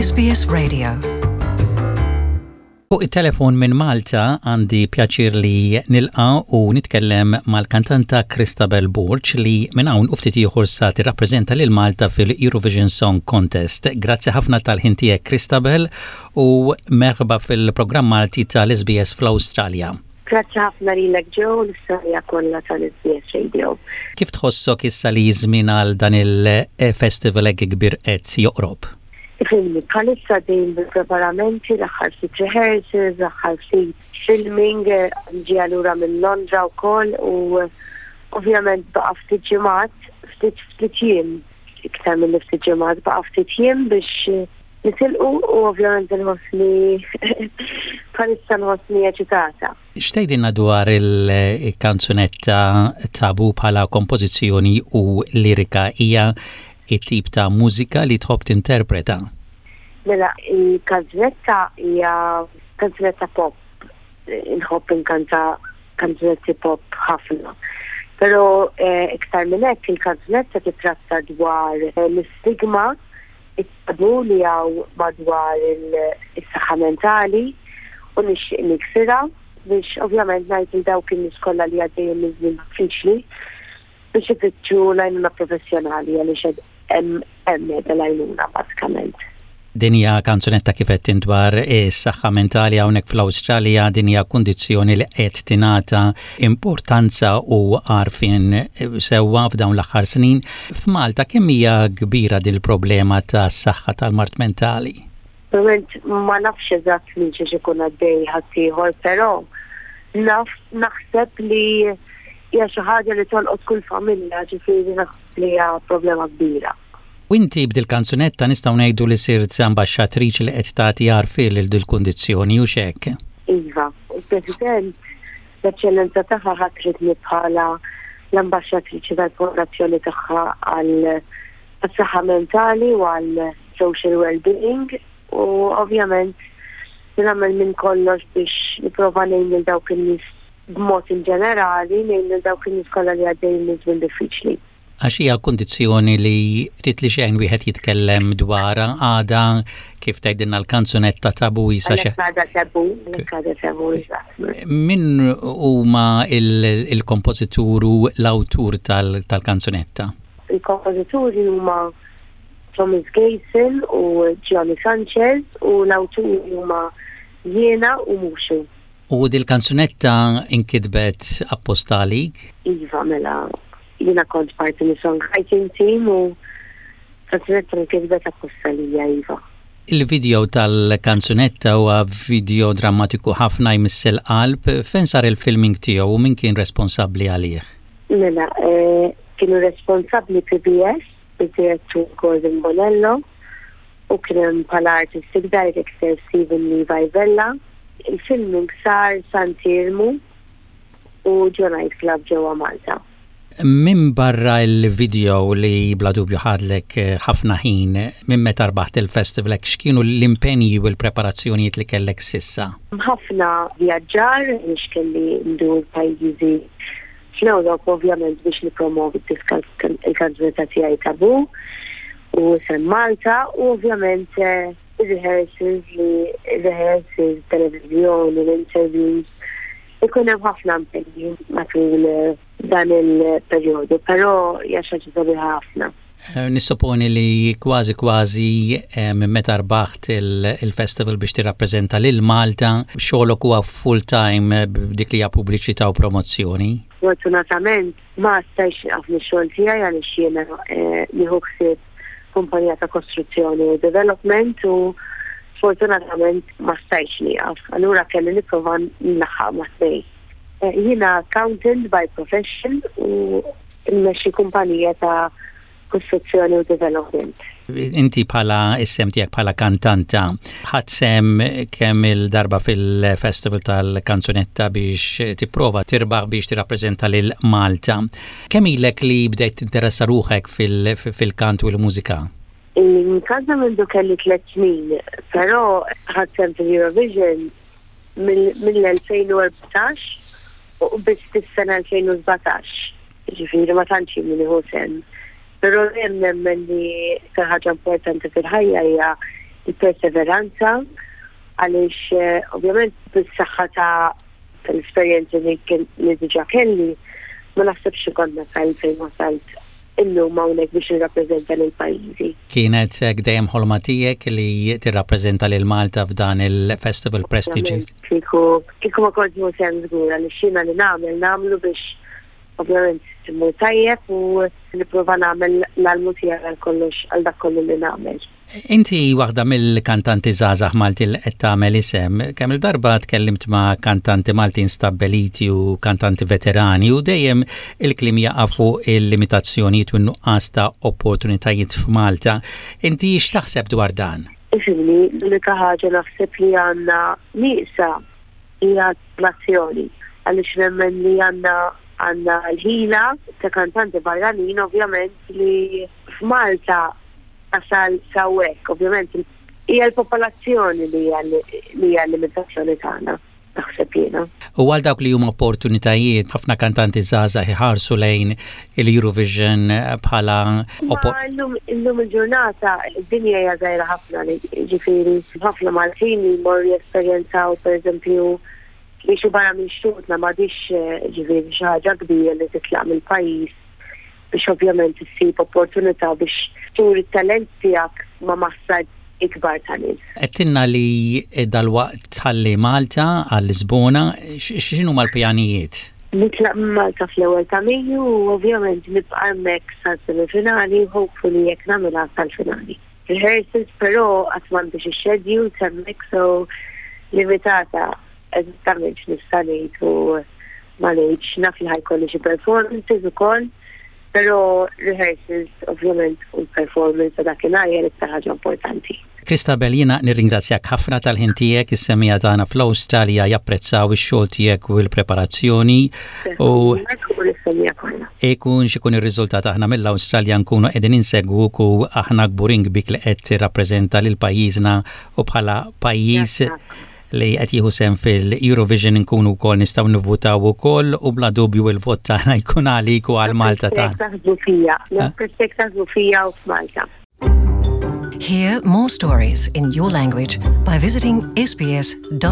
SBS Radio. Fuq it-telefon minn Malta għandi pjaċir li nilqa u nitkellem mal-kantanta Christabel Borg li minn hawn u ftit ieħor sa tirrappreżenta lil Malta fil-Eurovision Song Contest. Grazzi ħafna tal-ħin tiegħek Christabel u merħba fil-programm Malti tal-SBS fl-Awstralja. Grazzi ħafna lilek Joe u lis-semmiegħa kollha tal-SBS Radio. Kif tħossok issa li ż-żmien għal dan il-festival hekk kbir qed joqrob? Ifhimni, bħalissa għaddejjin bil-preparamenti, l-aħħar ftit rehearsals, l-aħħar ftit filming, ġejja lura minn Londra wkoll u ovvjament baqa' ftit ġimgħat, ftit ftit jiem, iktar milli ftit ġimgħat, baqa' ftit jiem biex Nitilqu u ovvjament inħossni bħalissa nħossni eċitata. X'tgħidilna dwar il-kanzunetta Tabu bħala kompożizzjoni u lirika? Hija t-tip ta' mużika li tħobb tinterpreta? Mela, il-kanzunetta hija kanzunetta pop. Inħobb inkanta kanzunetti pop ħafna. Però eh, iktar minn hekk il-kanzunetta titratta dwar eh, l-istigma it-tabu li hawn madwar is-saħħa mentali u nixtieq niksirha biex ovvjament ngħid lil dawk in-nies kollha li għaddejjin minn żmien diffiċli biex ifittxu l-għajnuna professjonali għaliex hemm hemm qiegħda l-għajnuna bażikament. Din hija kanzunetta kif qed int dwar is-saħħa mentali hawnhekk fl-Awstralja din hija kundizzjoni li qed tingħata importanza u għarfien sewwa f'dawn l-aħħar snin. F'Malta kemm hija kbira din il-problema tas-saħħa tal-mard mentali? Ovvjament ma nafx eżatt minn xiex ikun għaddej ħaddieħor, però naf naħseb li hija xi ħaġa li tolqot kull familja, ġifieri naħseb li hija problema kbira. U inti b'dil-kanzunetta nistgħu ngħidu li sirt ambaxxatriċi li qed tagħti għarfien lil dil-kundizzjoni, hux hekk? Iva, il-President L-Eċċellenza Tagħha ħatritni bħala l-ambaxxatriċi tal-Fondazzjoni tagħha għall-Saħħa Mentali u għall-Social Wellbeing u ovvjament li nagħmel minn kollox biex nipprova ngħin lil dawk in-nies b'mod inġenerali, ngħin lil dawk in-nies kollha li għaddejjin minn żmien diffiċli. Għax hija kundizzjoni li ftit li xejn wieħed jitkellem dwarha għadha kif tgħidilna l-kanzunetta tabu isa xi. Għadha tabu, għadha tabu Min huma il-kompożitur u l-awtur tal-kanzunetta? Il-kompożituri huma Thomas Gayson u Gianni Sanchez u l-awturi huma jiena u Muxu. U dil-kanzunetta inkitbet apposta għalik? Iva, mela Jiena kont parti mis-songwriting team u kanzunetta nkitbet apposta lija iva. Il-video tal-kanzunetta huwa video drammatiku ħafna jmiss il-qalb. Fejn sar il-filming tiegħu u min kien responsabbli għalih? Mela, eh, kienu responsabbli PBS, id-direttur Gordon Bonello, u kien hemm bħala artistic director Stephen Levi Vella. Il-filming sar Sant'Iermu u ġo night club ġewwa Malta. Minbarra l-video li bla dubju ħadlek ħafna ħin, minn meta rbaħt il-festival hekk x'kienu l-impenji u l-preparazzjonijiet li kellek s'issa? Ħafna vjaġġar għaliex kelli ndur pajjiżi fl-Ewropa ovvjament biex nippromovi d-diska il-kanzunetta tiegħi Taboo u isem Malta u ovvjament ir-rehearsals li rehearsals, televiżjoni, l-interviews Ikun hemm ħafna impenji matul eh, dan il-perjodu, però hija xi ħaġa sabiħa ħafna. Eh, nissoponi li kważi kważi eh, minn meta rbaħt il-festival biex tirrappreżenta lil Malta, xogħolok huwa full time b'dik li hija pubbliċità u promozzjoni. Fortunatament Ma stajtx nieqaf mix-xogħol tiegħi għaliex jiena nieħu ħsieb kumpanija ta' kostruzzjoni u development u sfortunatament ma stajtx nieqaf. Allura kelli nipprova nlaħħaq mat-tnejn. Jiena accountant by profession u mmexxi kumpanija ta' kostruzzjoni u development. Inti bħala is-sehem tiegħek bħala kantanta, ħadt sehem kemm il-darba fil-Festival tal-Kanzunetta biex tipprova tirbaħ biex tirrappreżenta lil Malta. Kemm ilek li bdejt tinteressa ruħek fil-kant u l-mużika? Inkanta mindu kelli tlet snin, però ħadt sehem fil-Eurovision mill-2014 u biss fis-sena 2017. Jiġifieri ma tantx jien nieħu sehem. Però dejjem nemmen li iktar ħaġa importanti fil-ħajja hija il-perseveranza għaliex eh, ovvjament bis-saħħa ta' tal-esperjenzi li li diġà kelli ma naħsebx li kont nasal fejn wasalt illum hawnhekk biex nirrappreżenta lil pajjiżi. Kienet hekk dejjem ħolma tiegħek li tirrappreżenta lil Malta f'dan il-festival prestiġjuż? Kieku kieku ma kontx nieħu sehem żgur għaliex jiena li nagħmel nagħmlu biex ovvjament immur tajjeb u nipprova nagħmel l-almu tiegħi għal kollox għal dak kollu li nagħmel. Inti waħda mill-kantanti żgħażagħ Maltin li qed tagħmel isem. Kemm-il darba tkellimt ma' kantanti Maltin stabbiliti u kantanti veterani u dejjem il-kliem jaqa' fuq il-limitazzjonijiet u n-nuqqas ta' opportunitajiet f'Malta. Inti x'taħseb dwar dan? Ifhimni, l-unika ħaġa naħseb li għandna nieqsa hija l-azzjoni. Għaliex nemmen li għandna għandna l-ħila ta' kantanti barranin ovvjament li f'Malta tasal s'hawnhekk. Ovvjament hija l-popolazzjoni li hija li hija l-limitazzjoni tagħna, naħseb jiena. U għal dawk li huma opportunitajiet, ħafna kantanti żgħażagħ iħarsu lejn il-Eurovision bħala Ma illum illum il-ġurnata id-dinja hija żgħira ħafna li ġifieri ħafna Maltin li jmorru jesperjenzaw pereżempju jgħixu barra minn xtutna m'għadhiex ġifieri xi ħaġa kbira li titlaq mill-pajjiż biex ovvjament issib opportunità biex turi t-talent tiegħek ma' massa ikbar ta' nies. Għedtilna li dalwaqt tħalli Malta għal Lisbona, x'inhuma l-pjanijiet? Nitlaq minn Malta fl-ewwel ta' Mejju u ovvjament nibqa' hemmhekk sas-semifinali u hopefully jekk nagħmilha sal-finali. Rehearsals però qatt m'għandi xi schedules hemmhekk so limitata eżattament x'nista' ngħid u ma ngħidx naf li ħa jkolli xi performances ukoll, però rehearsals ovvjament u l-performance ta' dakinhar hija l-iktar ħaġa importanti. Christabel, jiena nirringrazzjak ħafna tal-ħin tiegħek, is-semmiegħa tagħna fl-Awstralja japprezzaw ix-xogħol tiegħek u l-preparazzjoni u ikun x'ikun ir-riżultat aħna mill-Awstralja nkunu qegħdin insegwuk u aħna kburin bik li qed tirrappreżenta lil pajjiżna u bħala pajjiż li qed jieħu sehem fil-Eurovision inkunu wkoll nistgħu nivvutaw ukoll u bla dubju il-vot tagħna jkun għalik u għal Malta tagħna. Taħsbu fija, naħseb taħsbu fija u f'Malta. Hear more stories in your language by visiting sbs.com.au.